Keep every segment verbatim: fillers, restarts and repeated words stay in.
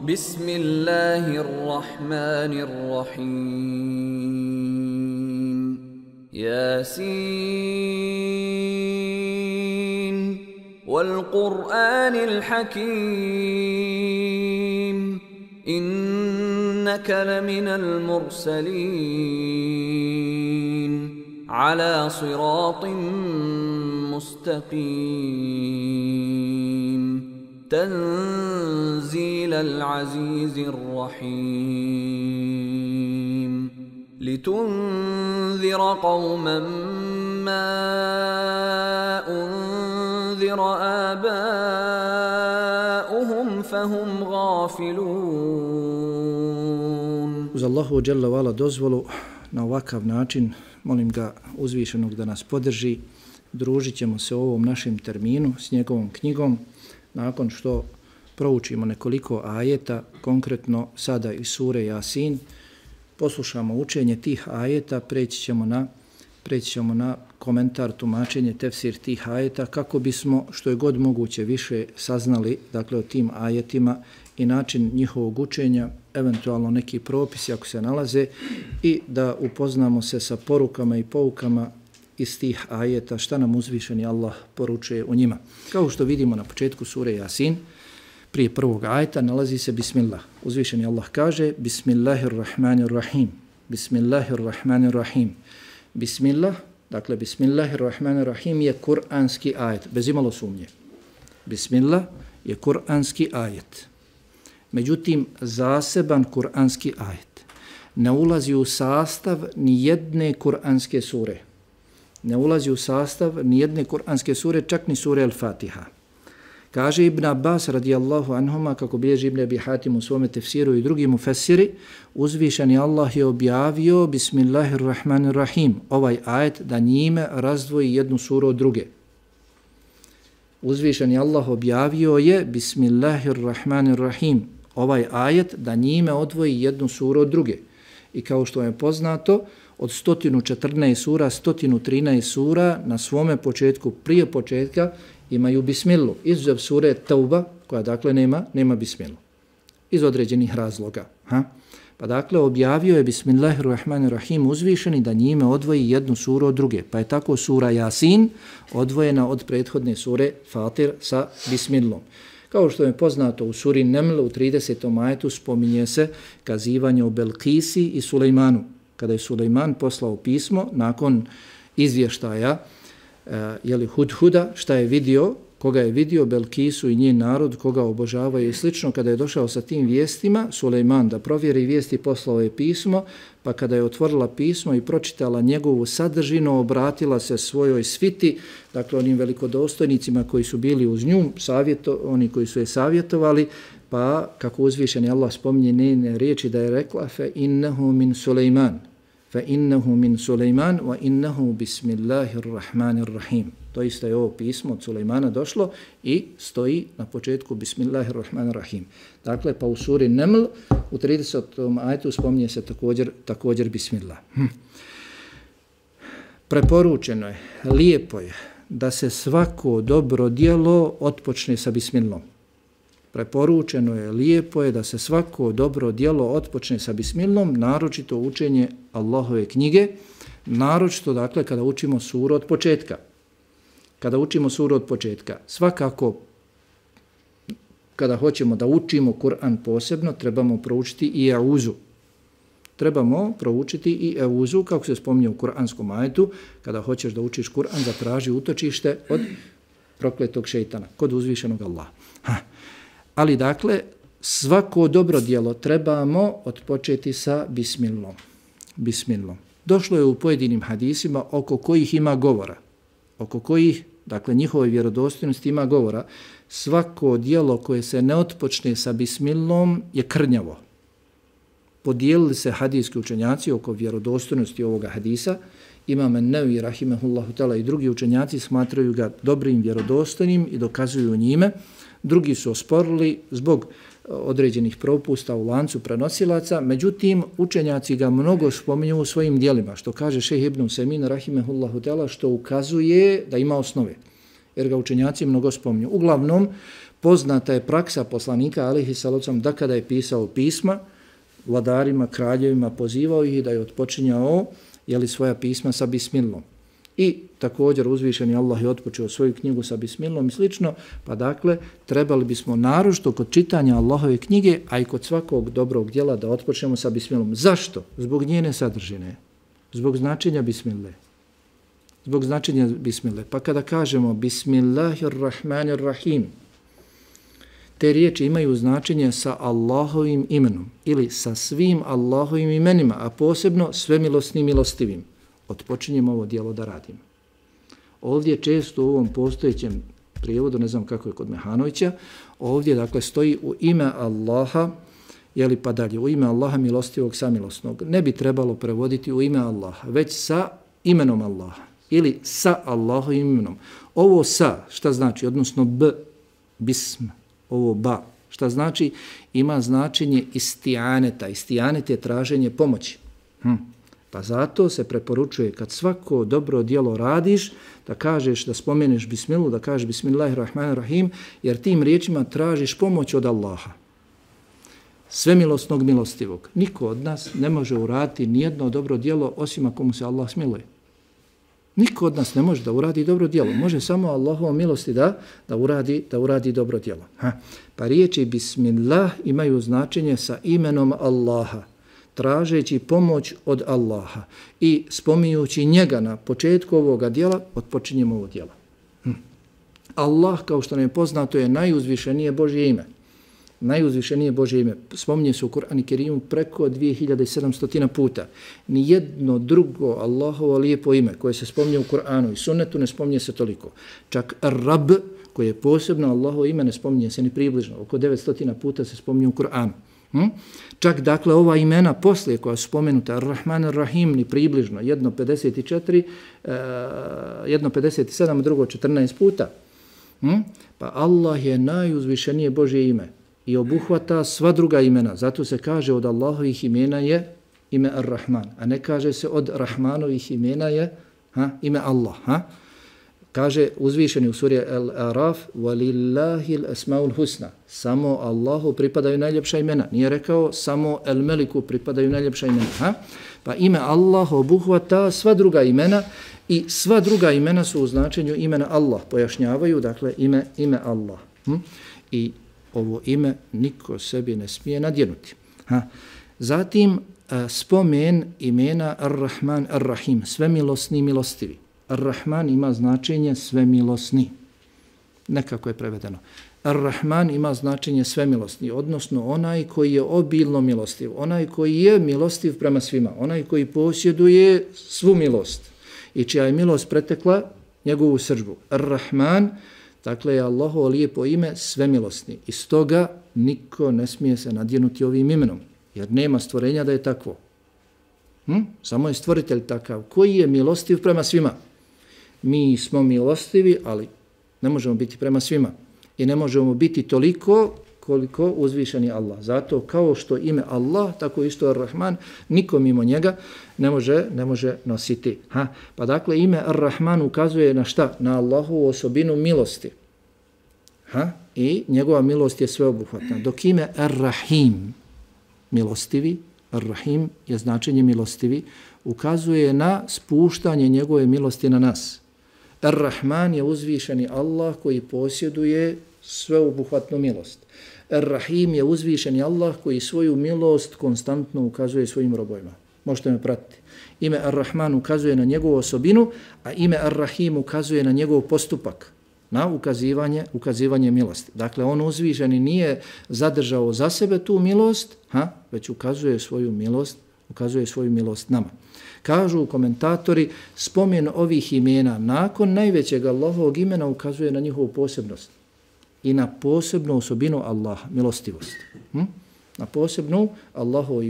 بسم الله الرحمن الرحيم ياسين والقرآن الحكيم إنك لمن المرسلين على صراط مستقيم تنزيل العزيز الرحيم لتنذر قوما ما أنذر آباؤهم فهم غافلون. Uz Allahu dželle ve ala dozvolu na ovakav način molim ga uzvišenog da nas podrži. Družit ćemo se u ovom našem terminu s njegovom knjigom nakon što proučimo nekoliko ajeta, konkretno sada iz sure Jasin, poslušamo učenje tih ajeta, preći ćemo na, preći ćemo na komentar, tumačenje, tefsir tih ajeta, kako bismo što je god moguće više saznali, dakle, o tim ajetima i način njihovog učenja, eventualno neki propisi ako se nalaze, i da upoznamo se sa porukama i poukama iz tih ajeta, šta nam uzvišeni Allah poručuje u njima. Kao što vidimo na početku sure Jasin, prije prvog ajeta nalazi se Bismillah. Uzvišeni Allah kaže Bismillahirrahmanirrahim. Bismillahirrahmanirrahim. Bismillah, dakle Bismillahirrahmanirrahim je kuranski ajet, bez imalo sumnje. Bismillah je kuranski ajet. Međutim, zaseban kuranski ajet ne ulazi u sastav ni jedne kuranske sure. Ne ulazi u sastav ni jedne kuranske sure, čak ni sure Al-Fatiha. Kaže Ibn Abbas radijallahu anhuma, kako bilježi Ibn Abi Hatim u svome tefsiru i drugi mufessiri, uzvišeni Allah je objavio Bismillahirrahmanirrahim, ovaj ajet, da njime razdvoji jednu suru od druge. Uzvišeni Allah objavio je Bismillahirrahmanirrahim, ovaj ajet, da njime odvoji jednu suru od druge. I kao što je poznato, od sto četrnaest sura, sto trinaest sura na svome početku, prije početka, imaju bismilu. Izuzev sure Tauba, koja dakle nema, nema bismilu. Iz određenih razloga. Ha? Pa dakle, objavio je Bismillahirrahmanirrahim uzvišeni da njime odvoji jednu suru od druge. Pa je tako sura Jasin odvojena od prethodne sure Fatir sa bismilom. Kao što je poznato u suri Neml u tridesetom ajetu spominje se kazivanje o Belkisi i Sulejmanu. Kada je Sulejman poslao pismo nakon izvještaja uh, jeli Hudhuda, šta je vidio, koga je vidio Belkisu i njen narod, koga obožavaju i slično, kada je došao sa tim vijestima, Sulejman da provjeri vijesti, poslao je pismo, pa kada je otvorila pismo i pročitala njegovu sadržinu, obratila se svojoj sviti, dakle onim velikodostojnicima koji su bili uz nju, savjeto, oni koji su je savjetovali, pa kako uzvišeni Allah spominje njene riječi da je rekla fa innahu min Sulejman, fa innahu min Sulejman wa innahu bismillahirrahmanirrahim. To isto je ovo pismo od Sulejmana došlo i stoji na početku Bismillahirrahmanirrahim. Dakle, pa u suri Neml u tridesetom ajetu spominje se također, također Bismillah. Hm. Preporučeno je, lijepo je da se svako dobro djelo otpočne sa Bismillom. Preporučeno je, lijepo je da se svako dobro djelo otpočne sa Bismillom, naročito učenje Allahove knjige, naročito dakle kada učimo suru od početka. Kada učimo suru od početka, svakako kada hoćemo da učimo Kur'an posebno, trebamo proučiti i Euzu. Trebamo proučiti i Euzu, kako se spominje u Kur'anskom ajetu, kada hoćeš da učiš Kur'an, zatraži utočište od prokletog šejtana, kod uzvišenog Allaha. Ha. Ali dakle, svako dobro djelo trebamo odpočeti sa Bismillom. Bismillom. Došlo je u pojedinim hadisima oko kojih ima govora, oko kojih, dakle, njihove vjerodostojnosti ima govora. Svako djelo koje se ne otpočne sa Bismillom je krnjavo. Podijelili se hadijski učenjaci oko vjerodostojnosti ovoga hadisa. Imam An-Nawawi rahimehullahu ta'ala i drugi učenjaci smatraju ga dobrim, vjerodostojnim i dokazuju njime. Drugi su osporili zbog određenih propusta u lancu prenosilaca, međutim učenjaci ga mnogo spominju u svojim dijelima, što kaže šejh Ibn Usajmin rahimehullahu teala, što ukazuje da ima osnove, jer ga učenjaci mnogo spominju. Uglavnom, poznata je praksa poslanika alejhi salatu da kada je pisao pisma vladarima, kraljevima, pozivao ih da je otpočinjao jeli, svoja pisma sa bismilom. I također uzvišeni Allah je otpočeo svoju knjigu sa bismilom i slično, pa dakle trebali bismo naročito kod čitanja Allahove knjige, a i kod svakog dobrog djela da otpočnemo sa bismilom. Zašto? Zbog njene sadržine, zbog značenja bismile. Zbog značenja bismile. Pa kada kažemo Bismillahirrahmanirrahim, te riječi imaju značenje sa Allahovim imenom ili sa svim Allahovim imenima, a posebno svemilosnim milostivim. Otpočinjemo ovo djelo da radimo. Ovdje često u ovom postojećem prijevodu, ne znam kako je kod Mehanovića, ovdje dakle stoji u ime Allaha, jeli pa dalje, u ime Allaha milostivog samilosnog. Ne bi trebalo prevoditi u ime Allaha, već sa imenom Allaha ili sa Allahovim imenom. Ovo sa, šta znači? Odnosno b, bism, ovo ba, šta znači? Ima značenje istijaneta. Istijanet je traženje pomoći. Hm. Pa zato se preporučuje kad svako dobro djelo radiš, da kažeš, da spomeneš bismilu, da kažeš Bismillahirrahmanirrahim, jer tim riječima tražiš pomoć od Allaha. Svemilosnog milostivog. Niko od nas ne može uraditi nijedno dobro djelo osim ako mu se Allah smiluje. Niko od nas ne može da uradi dobro djelo. Može samo Allahovom milosti da, da, uradi, da uradi dobro djelo. Ha. Pa riječi Bismillah imaju značenje sa imenom Allaha, tražeći pomoć od Allaha i spominjući njega na početku ovoga djela, otpočinjemo ovo djelo. Hm. Allah, kao što nam je poznato, je najuzvišenije Božje ime. Najuzvišenije Božje ime. Spominje se u Kur'anu Kerimu preko dvije hiljade sedamsto puta. Nijedno drugo Allahovo lijepo ime koje se spominje u Kur'anu i sunnetu ne spominje se toliko. Čak Rab, koje je posebno Allahovo ime, ne spominje se ni približno. Oko devetsto puta se spominje u Kur'anu. Hm? Čak dakle ova imena poslije koja su spomenuta, Ar-Rahman, Ar-Rahim, ni približno, jedno pedeset četiri, uh, jedno pedeset sedam, drugo četrnaest puta. Hm? Pa Allah je najuzvišenije Božje ime i obuhvata sva druga imena. Zato se kaže od Allahovih imena je ime Ar-Rahman, a ne kaže se od Rahmanovih imena je ha, ime Allah. Ha? Kaže uzvišeni u suri Al-Araf وَلِلَّهِ الْأَسْمَاءُ الْحُسْنَى. Samo Allahu pripadaju najljepša imena. Nije rekao samo El-Meliku pripadaju najljepša imena. Ha? Pa ime Allah obuhvata sva druga imena i sva druga imena su u značenju imena Allah. Pojašnjavaju dakle ime, ime Allah. Hm? I ovo ime niko sebi ne smije nadjenuti. Ha? Zatim spomen imena Ar-Rahman, Ar-Rahim, svemilosni i milostivi. Ar-Rahman ima značenje svemilosni. Nekako je prevedeno. Ar-Rahman ima značenje svemilosni, odnosno onaj koji je obilno milostiv, onaj koji je milostiv prema svima, onaj koji posjeduje svu milost i čija je milost pretekla njegovu srdžbu. Ar-Rahman, dakle je Allahovo lijepo ime svemilosni. I stoga niko ne smije se nadjenuti ovim imenom, jer nema stvorenja da je takvo. Hm? Samo je stvoritelj takav koji je milostiv prema svima. Mi smo milostivi, ali ne možemo biti prema svima. I ne možemo biti toliko koliko uzvišeni Allah. Zato kao što ime Allah, tako isto Ar-Rahman, niko mimo njega ne može, ne može nositi. Ha? Pa dakle ime Ar-Rahman ukazuje na šta? Na Allahovu osobinu milosti. Ha? I njegova milost je sveobuhvatna. Dok ime Ar-Rahim, milostivi, Ar-Rahim je značenje milostivi, ukazuje na spuštanje njegove milosti na nas. Ar-Rahman je uzvišeni Allah koji posjeduje sveobuhvatnu milost. Ar-Rahim je uzvišeni Allah koji svoju milost konstantno ukazuje svojim robovima. Možete me pratiti. Ime Ar-Rahman ukazuje na njegovu osobinu, a ime Ar-Rahim ukazuje na njegov postupak, na ukazivanje, ukazivanje milosti. Dakle, on uzvišeni nije zadržao za sebe tu milost, ha, već ukazuje svoju milost, ukazuje svoju milost nama. Kažu komentatori, spomen ovih imena nakon najvećeg Allahovog imena ukazuje na njihovu posebnost i na posebnu osobinu Allaha, milostivost. Hm? Na posebnu Allahovu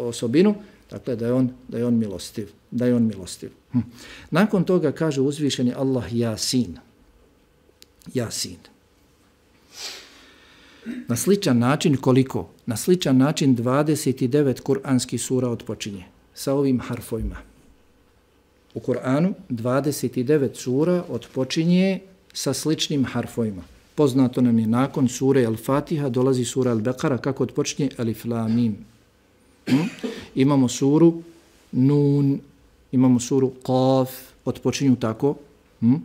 osobinu, dakle da je on, da je on milostiv, da je on milostiv. Hm. Nakon toga kaže uzvišeni Allah Jasin. Jasin. Na sličan način koliko? Na sličan način dvadeset devet kuranskih sura odpočinje sa ovim harfovima. U Kur'anu dvadeset devet sura odpočinje sa sličnim harfovima. Poznato nam je nakon sure Al-Fatiha dolazi sura Al-Beqara kako odpočinje Alif Lam Mim. Hmm? Imamo suru Nun, imamo suru Qaf, odpočinju tako. Hmm?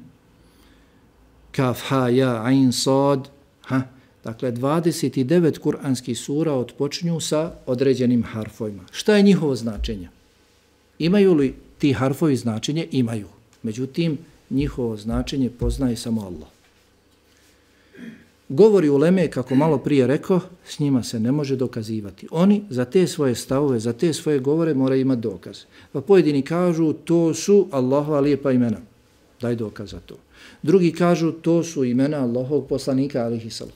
Kaf, ha, ja, ain, sad. Ha? Dakle, dvadeset devet kuranskih sura odpočinju sa određenim harfovima. Šta je njihovo značenje? Imaju li ti harfovi značenje? Imaju. Međutim, njihovo značenje poznaje samo Allah. Govori uleme, kako malo prije rekao, s njima se ne može dokazivati. Oni za te svoje stavove, za te svoje govore moraju imati dokaz. Pa pojedini kažu to su Allahova lijepa imena. Daj dokaz za to. Drugi kažu to su imena Allahovog poslanika alejhi selam.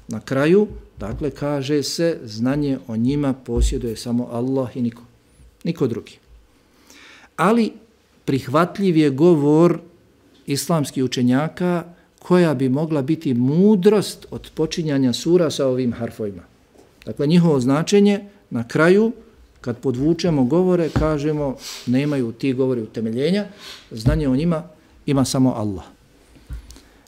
Na kraju, dakle, kaže se znanje o njima posjeduje samo Allah i niko, niko drugi. Ali prihvatljiv je govor islamskih učenjaka koja bi mogla biti mudrost od počinjanja sura sa ovim harfovima. Dakle, njihovo značenje na kraju, kad podvučemo govore, kažemo nemaju ti govori utemeljenja, znanje o njima ima samo Allah.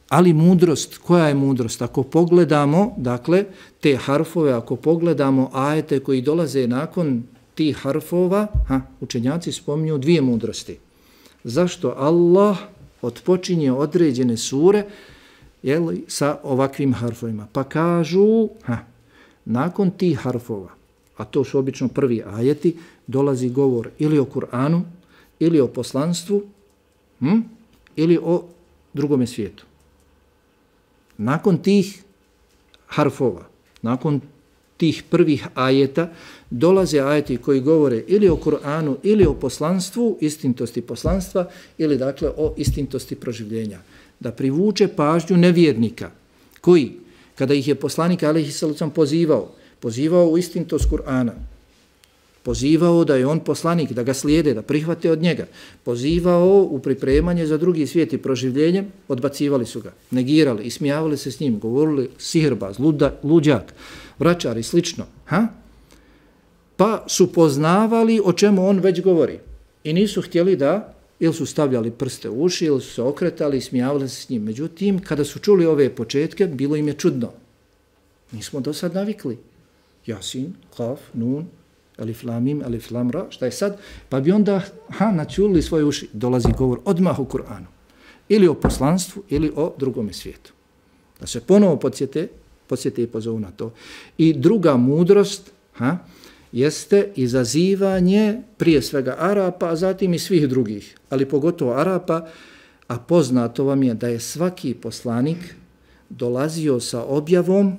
Ali mudrost, koja je mudrost? Ako pogledamo, dakle, te harfove, ako pogledamo ajete koji dolaze nakon tih harfova, ha, učenjaci spominju dvije mudrosti. Zašto Allah odpočinje određene sure jeli, sa ovakvim harfovima? Pa kažu, ha, nakon tih harfova, a to su obično prvi ajeti, dolazi govor ili o Kur'anu, ili o poslanstvu, hm, ili o drugome svijetu. Nakon tih harfova, nakon tih prvih ajeta, dolaze ajeti koji govore ili o Kur'anu, ili o poslanstvu, istintosti poslanstva, ili dakle o istintosti proživljenja. Da privuče pažnju nevjernika, koji, kada ih je poslanik alejhi selam pozivao, pozivao u istintost Kur'ana, pozivao da je on poslanik, da ga slijede, da prihvate od njega, pozivao u pripremanje za drugi svijet i proživljenje, odbacivali su ga, negirali, ismijavali se s njim, govorili sihirbaz, luda, luđak, vračar i slično. Ha? Pa su poznavali o čemu on već govori i nisu htjeli da, ili su stavljali prste u uši, ili su se okretali i smijavali se s njim. Međutim, kada su čuli ove početke, bilo im je čudno. Nismo do sad navikli. Jasin, Kaf, Nun, Alif Lam Mim, Alif Lam Ra, šta je sad? Pa bi onda ha, načuli svoje uši. Dolazi govor odmah u Kur'anu. Ili o poslanstvu, ili o drugome svijetu. Da se ponovo podsjete, podsjete i pozovu na to. I druga mudrost ha, jeste izazivanje prije svega Arapa, a zatim i svih drugih, ali pogotovo Arapa, a poznato vam je da je svaki poslanik dolazio sa objavom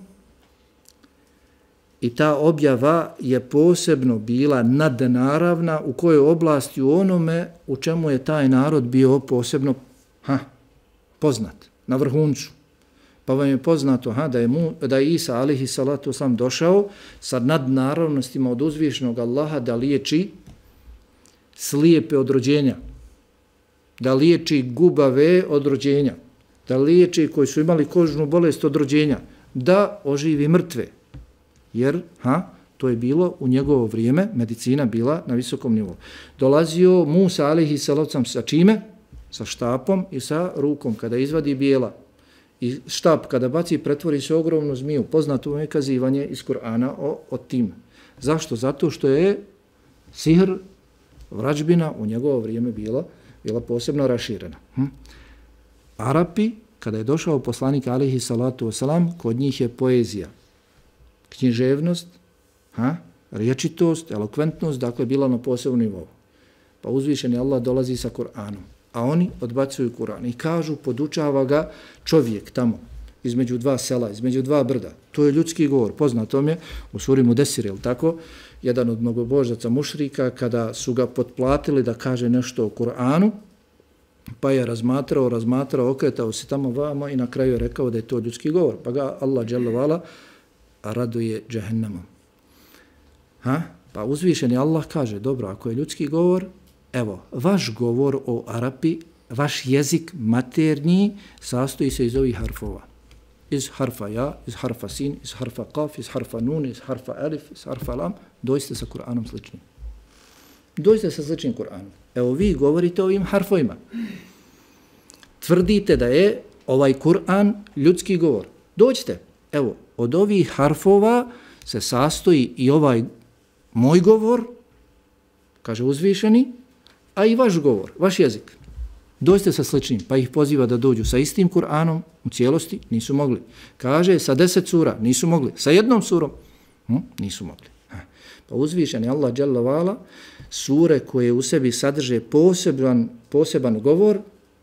i ta objava je posebno bila nadnaravna u kojoj oblasti u onome u čemu je taj narod bio posebno ha, poznat, na vrhuncu. Pa vam je poznato ha, da, je mu, da je Isa alejhi salatu vesselam došao sa nadnaravnostima od uzvišenog Allaha da liječi slijepe od rođenja, da liječi gubave od rođenja, da liječi koji su imali kožnu bolest od rođenja, da oživi mrtve. Jer ha, to je bilo u njegovo vrijeme, medicina bila na visokom nivou. Dolazio Musa alejhi salatu vesselam sa čime? Sa štapom i sa rukom kada izvadi bijela. I štap kada baci pretvori se ogromnu zmiju. Poznato je kazivanje iz Kur'ana o, o tim. Zašto? Zato što je sihr, vrađbina u njegovo vrijeme bila, bila posebno raširena. Hm? Arapi, kada je došao poslanik alejhi salatu vesselam, kod njih je poezija, književnost, ha? Riječitost, elokventnost, dakle bila na posebnom nivou. Pa uzvišeni Allah dolazi sa Kur'anom, a oni odbacuju Kur'an i kažu, podučava ga čovjek tamo, između dva sela, između dva brda. To je ljudski govor, poznato mi je u suri Mudesir, je tako? Jedan od mnogobožaca mušrika, kada su ga potplatili da kaže nešto o Kur'anu, pa je razmatrao, razmatrao, okretao se tamo vamo i na kraju je rekao da je to ljudski govor. Pa ga Allah dželle vala raduje džehennemom. Ha? Pa uzvišeni Allah kaže, dobro, ako je ljudski govor, evo, vaš govor o Arapi, vaš jezik maternji sastoji se iz ovih harfova. iz harfa ja, iz harfa sin, iz harfa kaf, iz harfa nun, iz harfa alif, iz harfa lam, dođite sa Kur'anom sličnim. Dođite sa sličnim Kur'anom. Evo vi govorite o ovim harfovima. Tvrdite da je ovaj Kur'an ljudski govor. Dođite. Evo, od ovih harfova se sastoji i ovaj moj govor, kaže uzvišeni, a i vaš govor, vaš jezik. Dođite sa sličnim, pa ih poziva da dođu sa istim Kur'anom u cijelosti, nisu mogli. Kaže sa deset sura, nisu mogli. Sa jednom surom, hm? nisu mogli. Pa uzvišeni Allah dželle vala, sure koje u sebi sadrže poseban, poseban govor,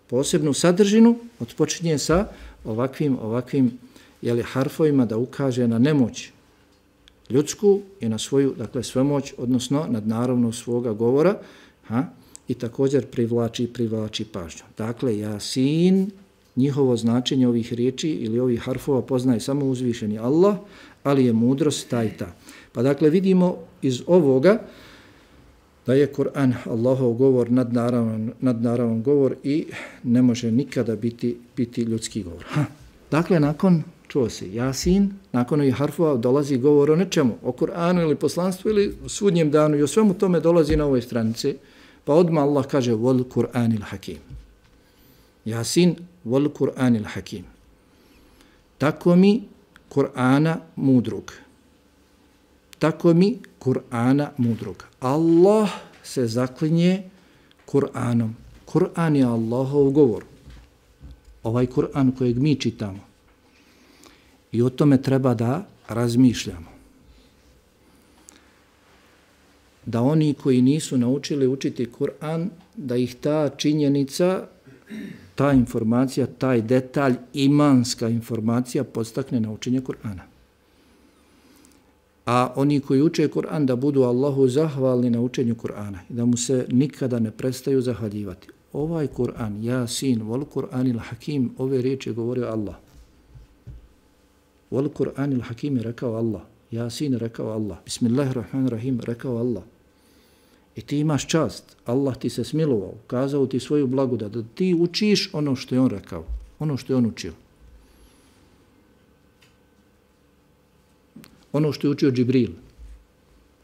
posebnu sadržinu, odpočinje sa ovakvim, ovakvim jeli, harfovima da ukaže na nemoć ljudsku i na svoju, dakle, svemoć, odnosno nadnaravno svoga govora, ha? I također privlači, privlači pažnju. Dakle, Jasin, njihovo značenje ovih riječi ili ovih harfova poznaje samo uzvišeni Allah, ali je mudrost ta i ta. Pa dakle, vidimo iz ovoga da je Kur'an Allahov govor, nadnaravan, nadnaravan govor i ne može nikada biti, biti ljudski govor. Ha. Dakle, nakon, čuo se, Jasin, nakon ovih harfova dolazi govor o nečemu, o Kur'anu ili poslanstvu ili sudnjem danu i o svemu tome dolazi na ovoj stranici. Pa odmah Allah kaže wal Kur'anil hakim. Jasin wal Kur'anil hakim. Tako mi Kur'ana mudrog. Tako mi Kur'ana mudrog. Allah se zaklinje Kur'anom. Kur'an je Allahov govor. Ovaj Kur'an kojeg mi čitamo. I o tome treba da razmišljamo. Da oni koji nisu naučili učiti Kur'an, da ih ta činjenica, ta informacija, taj detalj, imanska informacija podstakne na učenje Kur'ana. A oni koji uče Kur'an da budu Allahu zahvalni na učenju Kur'ana i da mu se nikada ne prestaju zahvaljivati. Ovaj Kur'an, Jasin, wal Kur'anil hakim, ove riječi je govorio Allah. Wal Kur'anil hakim je rekao Allah. Jasin rekao Allah. Bismillahirrahmanirrahim rekao Allah. I ti imaš čast. Allah ti se smilovao, kazao ti svoju blagodat, da ti učiš ono što je on rekao, ono što je on učio. Ono što je učio Džibril,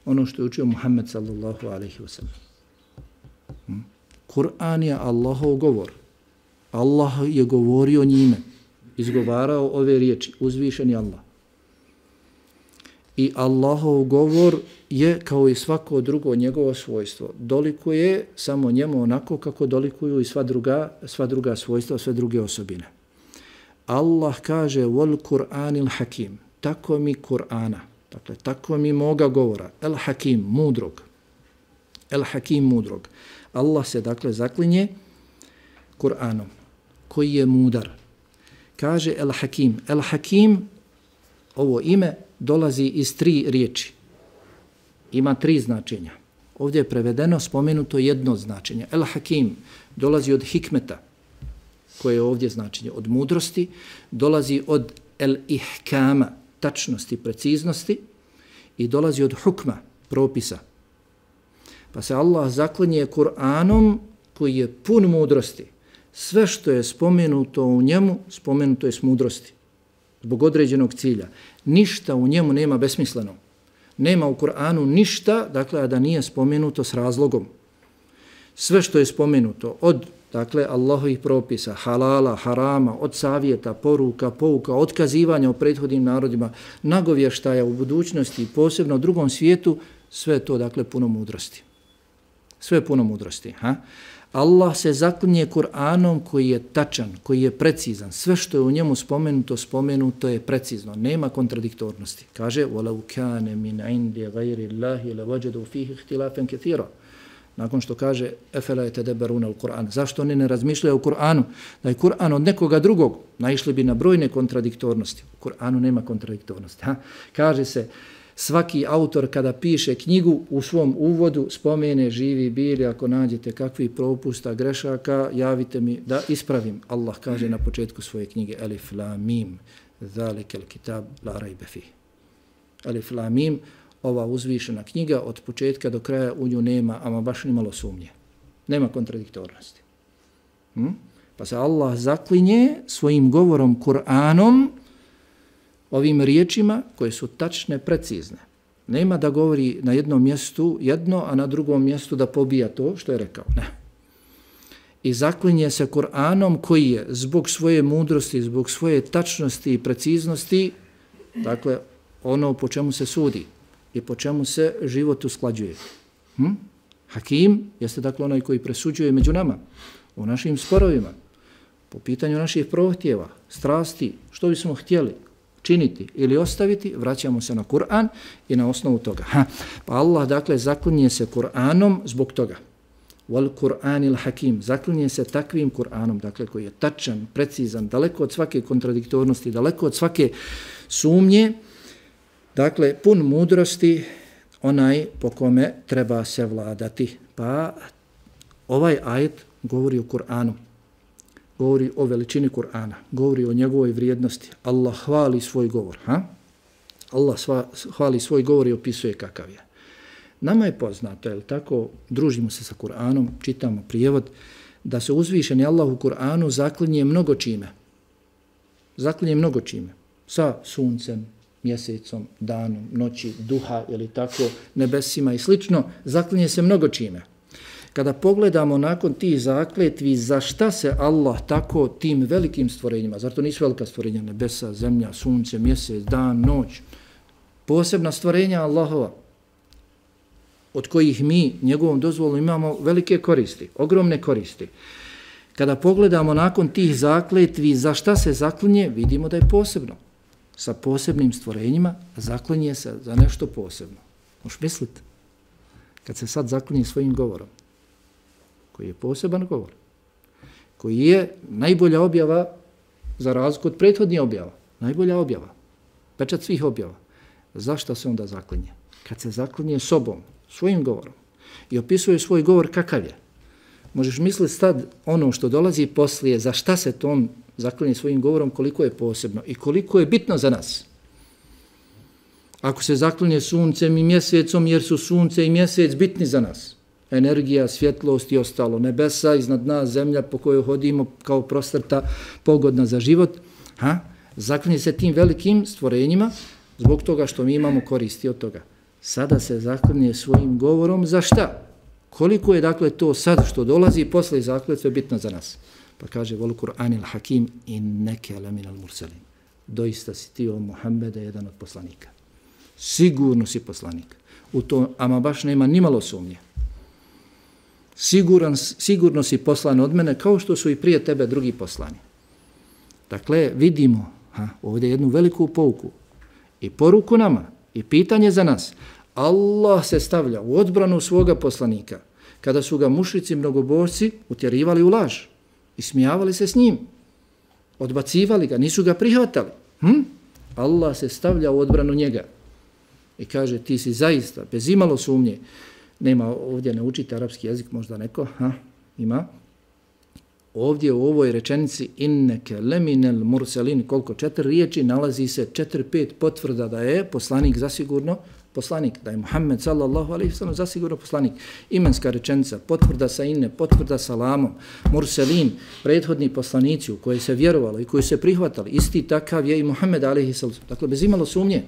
ono što je učio Muhammed sallallahu alaihi wa sallam. Hmm? Kur'an je Allahov govor. Allah je govorio njime, izgovarao ove riječi, uzvišeni Allah. I Allahov govor je kao i svako drugo njegovo svojstvo. Dolikuje samo njemu onako kako dolikuju i sva druga, sva druga svojstva, sve druge osobine. Allah kaže wal Kur'anil hakim. Tako mi Kur'ana. Dakle, tako mi moga govora. El hakim, mudrog. El hakim, mudrog. Allah se dakle zaklinje Kur'anom, koji je mudar. Kaže el hakim. El hakim, ovo ime, dolazi iz tri riječi. Ima tri značenja. Ovdje je prevedeno, spomenuto jedno značenje. El hakim dolazi od hikmeta, koje je ovdje značenje, od mudrosti, dolazi od el ihkama, tačnosti, preciznosti i dolazi od hukma, propisa. Pa se Allah zaklinje Kur'anom koji je pun mudrosti. Sve što je spomenuto u njemu, spomenuto je s mudrosti. Zbog određenog cilja. Ništa u njemu nema besmisleno. Nema u Kur'anu ništa, dakle, a da nije spomenuto s razlogom. Sve što je spomenuto od, dakle, Allahovih propisa, halala, harama, od savjeta, poruka, pouka, otkazivanja u prethodnim narodima, nagovještaja u budućnosti, posebno u drugom svijetu, sve je to, dakle, puno mudrosti. Sve je puno mudrosti. Ha? Allah se zaklinje Kur'anom koji je tačan, koji je precizan. Sve što je u njemu spomenuto, spomenuto je precizno. Nema kontradiktornosti. Kaže, وَلَوْ كَانَ مِنْ عِنْدِ غَيْرِ اللَّهِ لَوَجَدُوا فِيهِ اخْتِلَافًا كَثِيرًا. Nakon što kaže, أَفَلَا يَتَدَبَّرُونَ الْقُرْآنَ. Zašto oni ne razmišljaju o Kur'anu? Da je Kur'an od nekoga drugog, naišli bi na brojne kontradiktornosti. U Kur'anu nema kontradiktornosti. Ha? Kaže se, svaki autor kada piše knjigu u svom uvodu spomene živi bili, ako nađete kakvi propusta, grešaka, javite mi da ispravim. Allah kaže na početku svoje knjige Alif Lam Mim, zalikel kitab la rajbe fih. Alif Lam Mim, ova uzvišena knjiga od početka do kraja u nju nema, ama baš ni malo sumnje. Nema kontradiktornosti. Hm? Pa se Allah zaklinje svojim govorom Kur'anom ovim riječima koje su tačne, precizne. Nema da govori na jednom mjestu jedno, a na drugom mjestu da pobija to što je rekao. Ne. I zaklinje se Kur'anom koji je zbog svoje mudrosti, zbog svoje tačnosti i preciznosti, dakle, ono po čemu se sudi i po čemu se život usklađuje. Hm? Hakim jeste dakle onaj koji presuđuje među nama, u našim sporovima, po pitanju naših prohtjeva, strasti, što bismo htjeli činiti ili ostaviti, vraćamo se na Kur'an i na osnovu toga. Ha. Pa Allah dakle zaklinje se Kur'anom zbog toga. Wal Kur'anil Hakim, zaklinje se takvim Kur'anom, dakle koji je tačan, precizan, daleko od svake kontradiktornosti, daleko od svake sumnje, dakle pun mudrosti, onaj po kome treba se vladati. Pa ovaj ajet govori o Kur'anu, govori o veličini Kur'ana, govori o njegovoj vrijednosti. Allah hvali svoj govor. Ha? Allah sva, hvali svoj govor i opisuje kakav je. Nama je poznato, jel tako, družimo se sa Kur'anom, čitamo prijevod, da se uzvišeni Allah u Kur'anu zaklinje mnogo čime. Zaklinje mnogo čime. Sa suncem, mjesecom, danom, noći, duha ili tako, nebesima i slično, zaklinje se mnogo čime. Kada pogledamo nakon tih zakletvi za šta se Allah tako tim velikim stvorenjima, zar to nisu velika stvorenja, nebesa, zemlja, sunce, mjesec, dan, noć, posebna stvorenja Allahova, od kojih mi njegovom dozvolom imamo velike koristi, ogromne koristi. Kada pogledamo nakon tih zakletvi za šta se zaklinje, vidimo da je posebno. Sa posebnim stvorenjima zaklinje se za nešto posebno. Možeš misliti? Kad se sad zaklinje svojim govorom, koji je poseban govor, koji je najbolja objava za razliku od prethodnih objava, najbolja objava, pečat svih objava. Zašto se onda zaklinje? Kad se zaklinje sobom, svojim govorom i opisuje svoj govor kakav je. Možeš misliti sad ono što dolazi poslije, za šta se to on zaklinje svojim govorom, koliko je posebno i koliko je bitno za nas. Ako se zaklinje suncem i mjesecom, jer su sunce i mjesec bitni za nas. Energija, svjetlost i ostalo. Nebesa, iznad nas, zemlja po kojoj hodimo kao prostrta, pogodna za život. Ha? Zaklinje se tim velikim stvorenjima zbog toga što mi imamo koristi od toga. Sada se zaklinje svojim govorom za šta? Koliko je dakle to sad što dolazi posle zakletve bitno za nas? Pa kaže Wal Kur'anil Hakim inneke laminal mursalin. Doista si ti o Muhammede jedan od poslanika. Sigurno si poslanik. U to ama baš nema ni malo sumnje. Siguran, sigurno si poslan od mene kao što su i prije tebe drugi poslani. Dakle, vidimo ha, ovdje jednu veliku pouku i poruku nama i pitanje za nas. Allah se stavlja u odbranu svoga poslanika kada su ga mušrici mnogobožci utjerivali u laž i smijavali se s njim, odbacivali ga, nisu ga prihvatali. Hm? Allah se stavlja u odbranu njega i kaže ti si zaista, bez imalo sumnje, nema ovdje ne učite arapski jezik, možda neko, ha, ima. Ovdje u ovoj rečenici inneke leminel mursalin, koliko četiri riječi, nalazi se četiri, pet potvrda da je poslanik zasigurno poslanik, da je Muhammed sallallahu alejhi ve sellem zasigurno poslanik. Imenska rečenica, potvrda sa inne, potvrda salamom, mursalin, prethodni poslanici u koje se vjerovalo i koji se prihvatali, isti takav je i Muhammed alejhi selam. Dakle, bez imalo sumnje.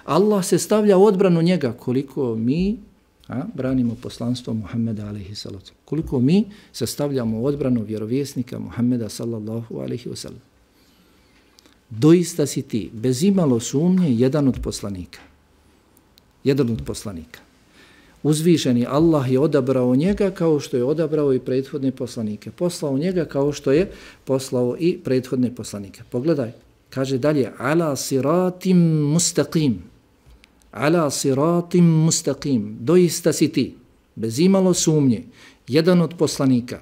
Allah se stavlja u odbranu njega koliko mi a, branimo poslanstvo Muhammeda alejhi selam. Koliko mi se stavljamo u odbranu vjerovjesnika Muhammeda sallallahu alejhi ve sellem. Doista si ti, bez imalo sumnje, jedan od poslanika. Jedan od poslanika. Uzvišeni Allah je odabrao njega kao što je odabrao i prethodne poslanike. Poslao njega kao što je poslao i prethodne poslanike. Pogledaj, kaže dalje, ala siratim mustaqim. Ala siratim mustaqim. Doista si ti, bez imalo sumnje, jedan od poslanika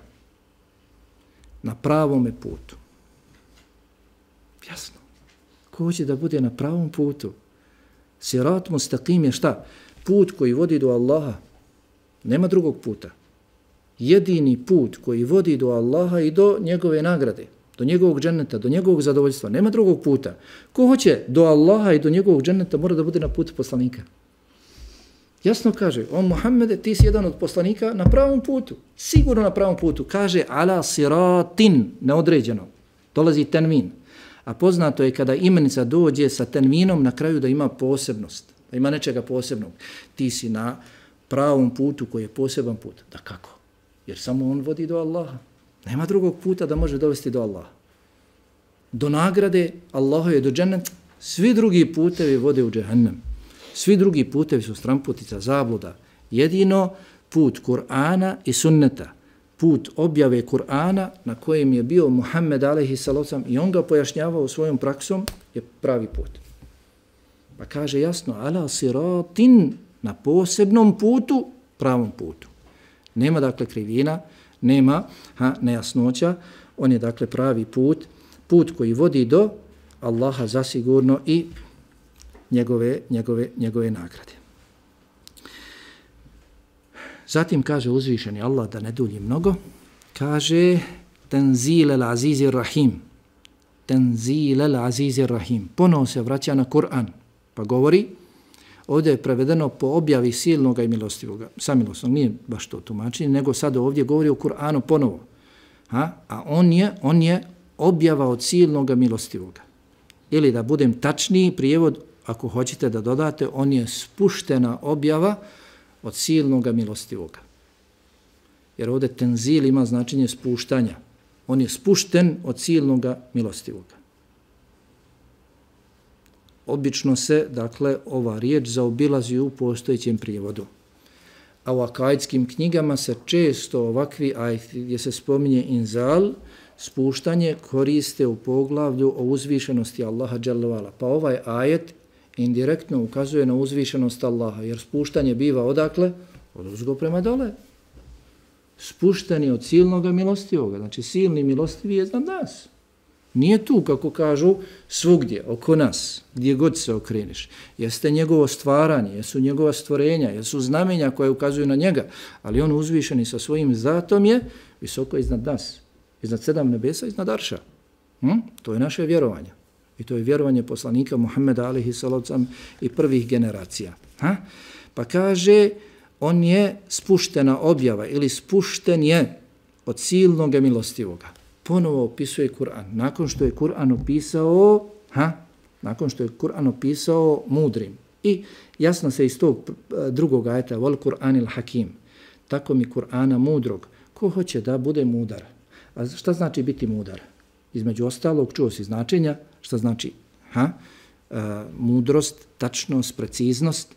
na pravome putu. Jasno. Ko će da bude na pravom putu? Sirat mustaqim je šta? Put koji vodi do Allaha. Nema drugog puta. Jedini put koji vodi do Allaha i do njegove nagrade, do njegovog dženneta, do njegovog zadovoljstva. Nema drugog puta. Ko hoće do Allaha i do njegovog dženneta mora da bude na putu poslanika. Jasno kaže, on Muhammede, ti si jedan od poslanika na pravom putu. Sigurno na pravom putu. Kaže ala siratin, neodređeno. Dolazi tenmin. A poznato je kada imenica dođe sa tenvinom na kraju da ima posebnost, da ima nečega posebnog. Ti si na pravom putu koji je poseban put. Da kako? Jer samo on vodi do Allaha. Nema drugog puta da može dovesti do Allaha. Do nagrade Allaha je do džennet. Svi drugi putevi vode u džehennem. Svi drugi putevi su stramputica, zabluda. Jedino put Kur'ana i sunneta, put objave Kur'ana na kojem je bio Muhammed alejhi salatu i on ga pojašnjavao svojom praksom, je pravi put. Pa kaže jasno, ala siratin, na posebnom putu, pravom putu. Nema dakle krivina, nema ha, nejasnoća, on je dakle pravi put, put koji vodi do Allaha zasigurno i njegove, njegove, njegove nagrade. Zatim kaže uzvišeni Allah, da ne dulji mnogo, kaže Tenzil al-Aziz ar-Rahim. Tenzil al-Aziz ar-Rahim. Ponovo se vraća na Kur'an, pa govori, ovdje je prevedeno po objavi silnoga i milostivoga. Samilosnog, nije baš to tumačenje, nego sad ovdje govori o Kur'anu ponovo. Ha? A on je, on je objava od silnoga milostivoga. Ili da budem tačniji, prijevod, ako hoćete da dodate, on je spuštena objava od silnoga milostivoga. Jer ovdje tenzil ima značenje spuštanja. On je spušten od silnoga milostivoga. Obično se, dakle, ova riječ zaobilazi u postojećem prijevodu. A u akajdskim knjigama se često ovakvi ajeti gdje se spominje inzal, spuštanje, koriste u poglavlju o uzvišenosti Allaha dželle ve ala. Pa ovaj ajet indirektno ukazuje na uzvišenost Allaha, jer spuštanje biva odakle? Od uzgo prema dole. Spušteni od silnog milostivoga. Znači silni milostivi je iznad nas. Nije tu, kako kažu, svugdje, oko nas, gdje god se okreniš. Jeste njegovo stvaranje, jesu njegova stvorenja, jesu znamenja koje ukazuju na njega, ali on uzvišeni sa svojim zatom je visoko iznad nas. Iznad sedam nebesa, iznad arša. Hm? To je naše vjerovanje. I to je vjerovanje poslanika Muhammeda alejhi salatu i prvih generacija. Ha? Pa kaže, on je spuštena objava ili spušten je od silnog milostivoga. Ponovo opisuje Kur'an. Nakon što je Kur'an opisao, ha? Nakon što je Kur'an opisao mudrim. I jasno se iz tog drugog ajeta, vol Kur'anil hakim. Tako mi Kur'ana mudrog. Ko hoće da bude mudar? A šta znači biti mudar? Između ostalog, čuo si značenja, šta znači ha? E, mudrost, tačnost, preciznost,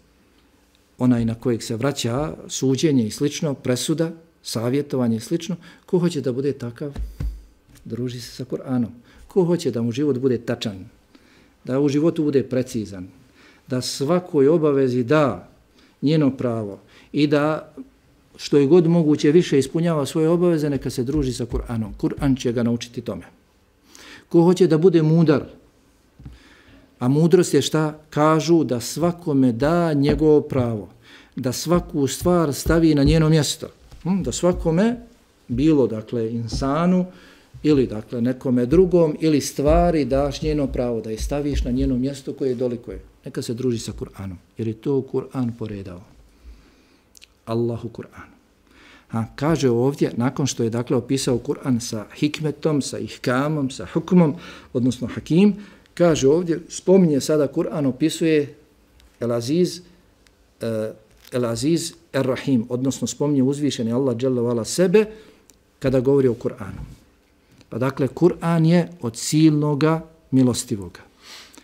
onaj na kojeg se vraća suđenje i slično, presuda, savjetovanje i slično. Ko hoće da bude takav? Druži se sa Kur'anom. Ko hoće da mu život bude tačan, da u životu bude precizan, da svakoj obavezi da njeno pravo i da što je god moguće više ispunjava svoje obaveze, neka se druži sa Kur'anom. Kur'an će ga naučiti tome. Ko hoće da bude mudar, a mudrost je šta? Kažu da svakome da njegovo pravo, da svaku stvar stavi na njeno mjesto, da svakome, bilo dakle insanu, ili dakle nekome drugom, ili stvari daš njeno pravo, da je staviš na njeno mjesto koje je dolikuje. Neka se druži sa Kur'anom, jer je to Kur'an poredao. Allahu Kur'an. Ha, kaže ovdje, nakon što je dakle opisao Kur'an sa hikmetom, sa ihkamom, sa hukmom, odnosno hakim, kaže ovdje, spominje sada Kur'an, opisuje El-Aziz, uh, El-Aziz Er-Rahim, odnosno spominje uzvišeni Allah dželle ve ala sebe kada govori o Kur'anu. Pa dakle, Kur'an je od silnoga milostivoga.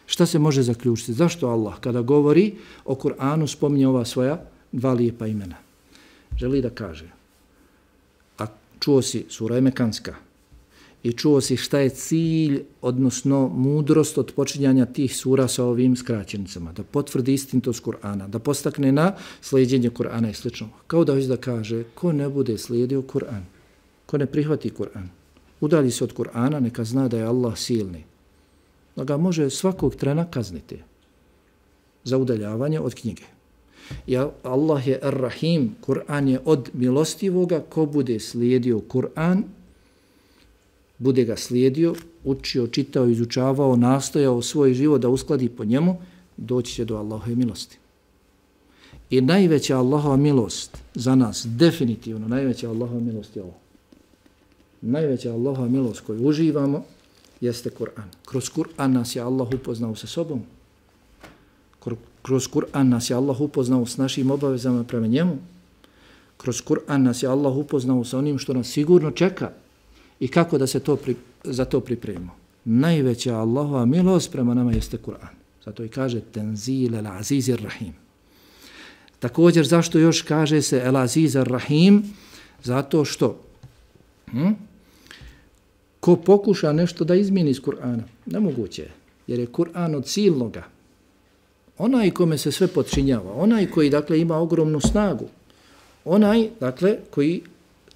Šta se može zaključiti? Zašto Allah kada govori o Kur'anu spominje ova svoja dva lijepa imena? Želi da kaže, a čuo si sura je mekanska i čuo si šta je cilj, odnosno mudrost od počinjanja tih sura sa ovim skraćenicama, da potvrdi istinitost Kur'ana, da postakne na slijedjenje Kur'ana i slično. Kao da hoće da kaže, ko ne bude slijedio Kur'an, ko ne prihvati Kur'an, udalji se od Kur'ana, neka zna da je Allah silni, da ga može svakog trena kazniti za udaljavanje od knjige. I Allah je Ar-Rahim, Kur'an je od milostivoga, ko bude slijedio Kur'an, bude ga slijedio, učio, čitao, izučavao, nastojao svoj život da uskladi po njemu, doći će do Allahove milosti. I najveća Allahova milost za nas, definitivno, najveća Allahova milost je ovo. Najveća Allahova milost koju uživamo jeste Kur'an. Kroz Kur'an nas je Allah upoznao sa sobom. Kroz Kur'an nas je Allah upoznao s našim obavezama prema njemu. Kroz Kur'an nas je Allah upoznao sa onim što nas sigurno čeka i kako da se to pri, za to pripremimo. Najveća Allahova milost prema nama jeste Kur'an. Zato i kaže Tenzil el-Aziz ar-Rahim. Također, zašto još kaže se el-Aziz ar-Rahim? Zato što hm? ko pokuša nešto da izmijeni iz Kur'ana, nemoguće je, jer je Kur'an od silnoga. Onaj kome se sve podčinjava, onaj koji dakle ima ogromnu snagu, onaj dakle koji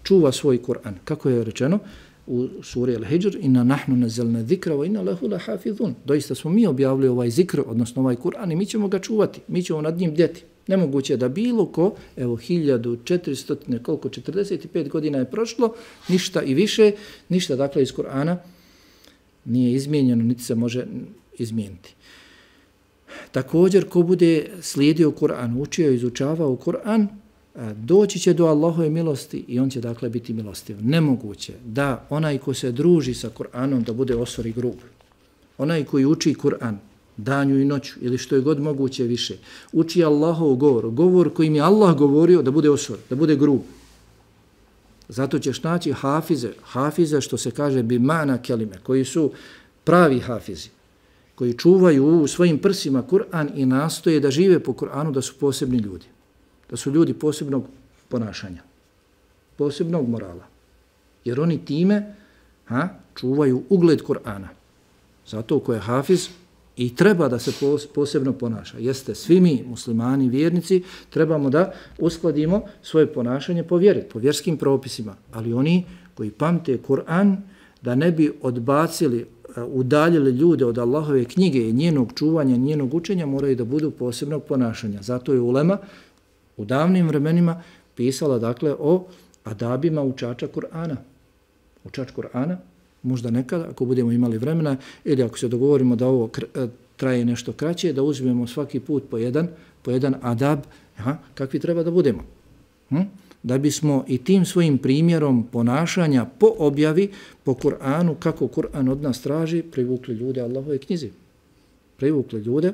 čuva svoj Kur'an. Kako je rečeno u suri Al-Hijr, inna nahnu nazzalna zikra wa inna lahu lahafizun. Doista smo mi objavili ovaj zikr, odnosno ovaj Kur'an, i mi ćemo ga čuvati, mi ćemo nad njim bdjeti. Nemoguće je da bilo ko, evo hiljadu četiristo, koliko, četrdeset pet godina je prošlo, ništa i više, ništa dakle iz Kur'ana nije izmijenjeno, niti se može izmijeniti. Također, ko bude slijedio Kur'an, učio i izučavao Kur'an, doći će do Allahove milosti i on će dakle biti milostiv. Nemoguće da onaj ko se druži sa Kur'anom da bude osor i grub. Onaj koji uči Kur'an danju i noću ili što je god moguće više, uči Allahov govor, govor kojim je Allah govorio, da bude osor, da bude grub. Zato ćeš naći hafize, hafize što se kaže bi mana kelime, koji su pravi hafizi, koji čuvaju u svojim prsima Kur'an i nastoje da žive po Kur'anu, da su posebni ljudi. Da su ljudi posebnog ponašanja, posebnog morala. Jer oni time ha, čuvaju ugled Kur'ana. Zato ko je hafiz i treba da se posebno ponaša. Jeste, svi mi, muslimani, vjernici, trebamo da uskladimo svoje ponašanje po vjeri, po vjerskim propisima. Ali oni koji pamte Kur'an, da ne bi odbacili, udaljili ljude od Allahove knjige i njenog čuvanja, njenog učenja, moraju da budu posebnog ponašanja. Zato je ulema u davnim vremenima pisala dakle o adabima učača Kur'ana. Učač Kur'ana, možda nekada, ako budemo imali vremena, ili ako se dogovorimo da ovo traje nešto kraće, da uzmemo svaki put po jedan, po jedan adab, aha, kakvi treba da budemo. Hm? Da bismo i tim svojim primjerom ponašanja po objavi, po Kur'anu, kako Kur'an od nas traži, privukli ljude Allahove knjizi. Privukli ljude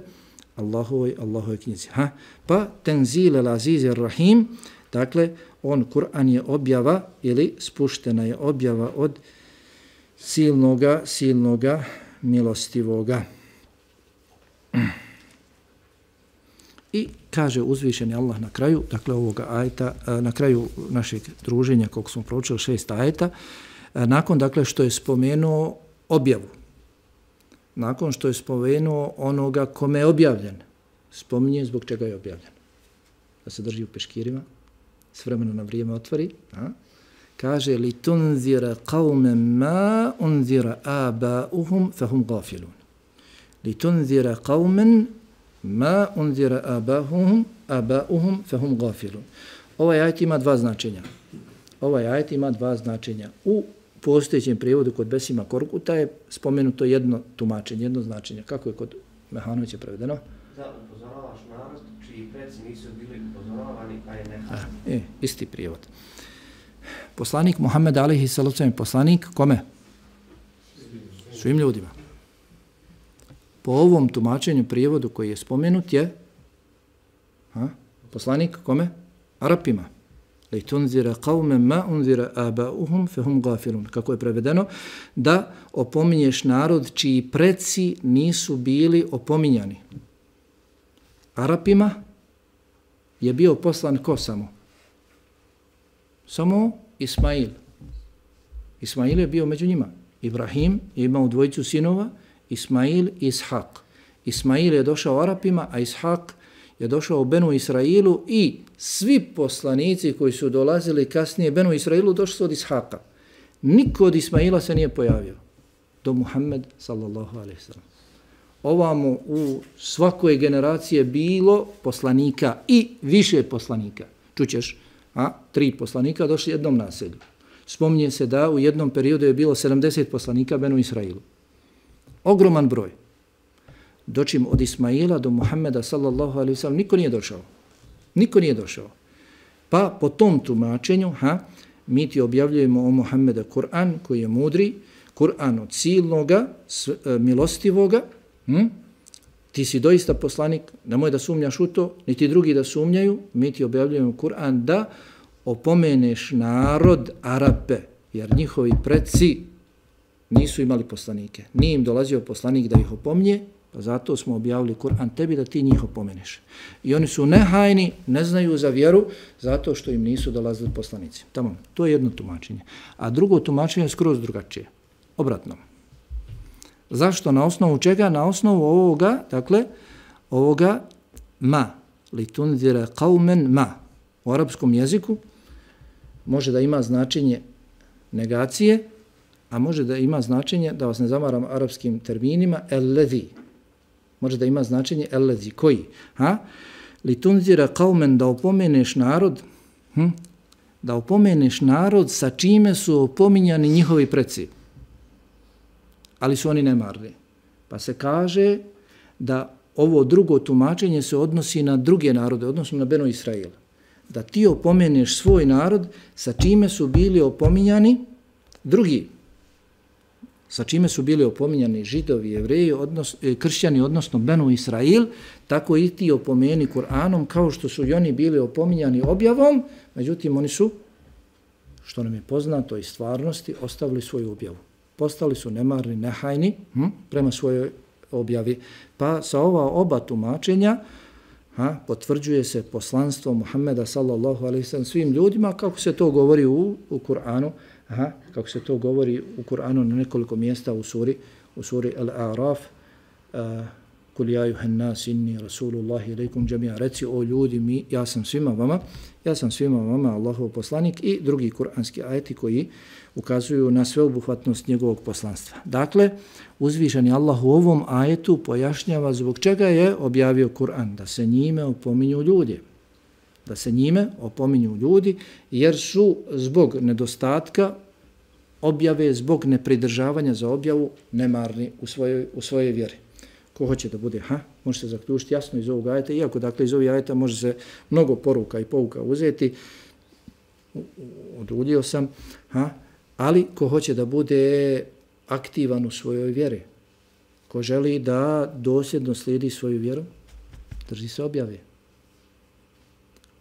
Allahovoj, Allahovoj knjizi. Ha? Pa Tenzil el-Aziz ar-Rahim, dakle, on, Kur'an je objava ili spuštena je objava od silnoga, silnoga, milostivoga. I kaže uzvišeni Allah na kraju, dakle ovoga ajeta, na kraju našeg druženja, koliko smo proučili šest ajeta, nakon dakle što je spomenuo objavu, nakon što je spomenuo onoga kome je objavljen, spominje zbog čega je objavljen. Da se drži u peškirima, s vremena na vrijeme otvori, a? Kaže li tunzira qauman ma unzira aba'uhum fahum gafilun. Li tunzira qauman ma unzira aba'uhum aba'uhum fahum gafilun. Ovaj ajet ima dva značenja. Ovaj ajet ima dva značenja. U postojećem prijevodu kod Besima Korkuta je spomenuto jedno tumačenje, jedno značenje. Kako je kod Mehanovića prevedeno? Da upozoravaš narod čiji preci nisu bili upozoravani, pa je nehaj. E, isti prijevod. Poslanik Muhammed alejhi selatu vesselam, poslanik kome? Svim ljudima. Po ovom tumačenju prijevodu koji je spomenut je ha, poslanik kome? Arapima. Li tunzira qauman ma unzira aba'uhum fahum gafilun. Kako je prevedeno? Da opominješ narod čiji preci nisu bili opominjani. Arapima je bio poslan ko samo? Samo Ismail. Ismail je bio među njima. Ibrahim je imao dvojicu sinova, Ismail i Ishaq. Ismail je došao Arapima, a Ishaq je došao u Benu Israilu i svi poslanici koji su dolazili kasnije Benu Israilu došli su od Ishaqa. Niko od Ismaila se nije pojavio. Do Muhammed sallallahu alejhi ve sellem. Ovamo u svakoj generaciji je bilo poslanika i više poslanika. Čućeš? A tri poslanika došli jednom naselju. Spominje se da u jednom periodu je bilo sedamdeset poslanika Benu Israilu. Ogroman broj. Dočim od Ismaila do Muhammeda sallallahu alejhi ve sellem niko nije došao. Niko nije došao. Pa po tom tumačenju, ha, mi ti objavljujemo o Muhammeda Kur'an koji je mudri, Kur'an od silnoga, milostivoga, hm? Ti si doista poslanik, nemoj da sumnjaš u to, niti drugi da sumnjaju, mi ti objavljujemo Kur'an da opomeneš narod Arape, jer njihovi preci nisu imali poslanike. Nije im dolazio poslanik da ih opomnje, pa zato smo objavili Kur'an tebi da ti njih opomeneš. I oni su nehajni, ne znaju za vjeru, zato što im nisu dolazili poslanici. Tamo, to je jedno tumačenje. A drugo tumačenje je skroz drugačije. Obratno. Zašto? Na osnovu čega? Na osnovu ovoga, dakle, ovoga ma, li tunzira qaumen ma. U arapskom jeziku može da ima značenje negacije, a može da ima značenje, da vas ne zamaram arapskim terminima, el-ledhi. Može da ima značenje el-ledhi. Koji? Ha? Li tunzira qaumen, da opomeneš narod, hm? da opomeneš narod sa čime su opominjani njihovi preci. Ali su oni nemarni. Pa se kaže da ovo drugo tumačenje se odnosi na druge narode, odnosno na Beno Israil. Da ti opomeneš svoj narod sa čime su bili opominjani drugi. Sa čime su bili opominjani židovi, jevreji, odnos, kršćani, odnosno Beno Israil, tako i ti opomeni Kur'anom kao što su i oni bili opominjani objavom, međutim oni su, što nam je poznato iz stvarnosti, ostavili svoju objavu. Postali su nemarni, nehajni hm, prema svojoj objavi. Pa sa ova oba tumačenja ha, potvrđuje se poslanstvo Muhammeda sallallahu alejhi ve sellem svim ljudima, kako se to govori u, u Kur'anu, aha, kako se to govori u Kur'anu na nekoliko mjesta u suri, u suri Al-A'raf, uh, kul ja juhan nas inni rasulullahi ilaikum džamija, reci o ljudi, mi, ja sam svima vama, ja sam svima vama Allahov poslanik, i drugi kuranski ajeti koji ukazuju na sveobuhvatnost njegovog poslanstva. Dakle, uzvišeni Allah u ovom ajetu pojašnjava zbog čega je objavio Kur'an, da se njime opominju ljudi. Da se njime opominju ljudi, jer su zbog nedostatka objave, zbog nepridržavanja za objavu nemarni u svojoj, u svojoj vjeri. Ko hoće da bude, ha, može se zaključiti jasno iz ovog ajeta, iako dakle iz ovog ajeta može se mnogo poruka i pouka uzeti, oduljio sam, ha, ali ko hoće da bude aktivan u svojoj vjeri, ko želi da dosljedno slijedi svoju vjeru, drži se objave.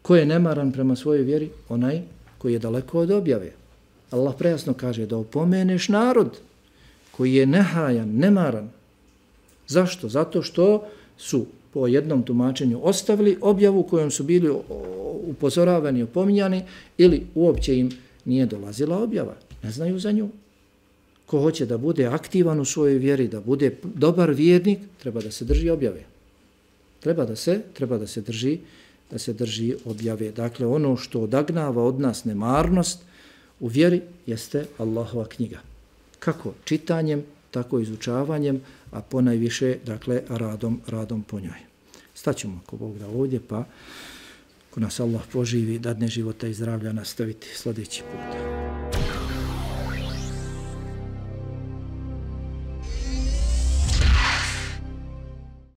Ko je nemaran prema svojoj vjeri? Onaj koji je daleko od objave. Allah prejasno kaže da opomeneš narod koji je nehajan, nemaran. Zašto? Zato što su po jednom tumačenju ostavili objavu kojom su bili upozoravani, opominjani, ili uopće im nije dolazila objava. Ne znaju za nju. Ko hoće da bude aktivan u svojoj vjeri, da bude dobar vjernik, treba da se drži objave. Treba da se, treba da se drži, da se drži objave. Dakle, ono što odagnava od nas nemarnost u vjeri jeste Allahova knjiga. Kako? Čitanjem, tako izučavanjem, a ponajviše, dakle, radom, radom po njoj. Staćemo, ako Bog da ovdje, pa ko nas Allah poživi, dadne života i zdravlja, nastaviti sljedeći put.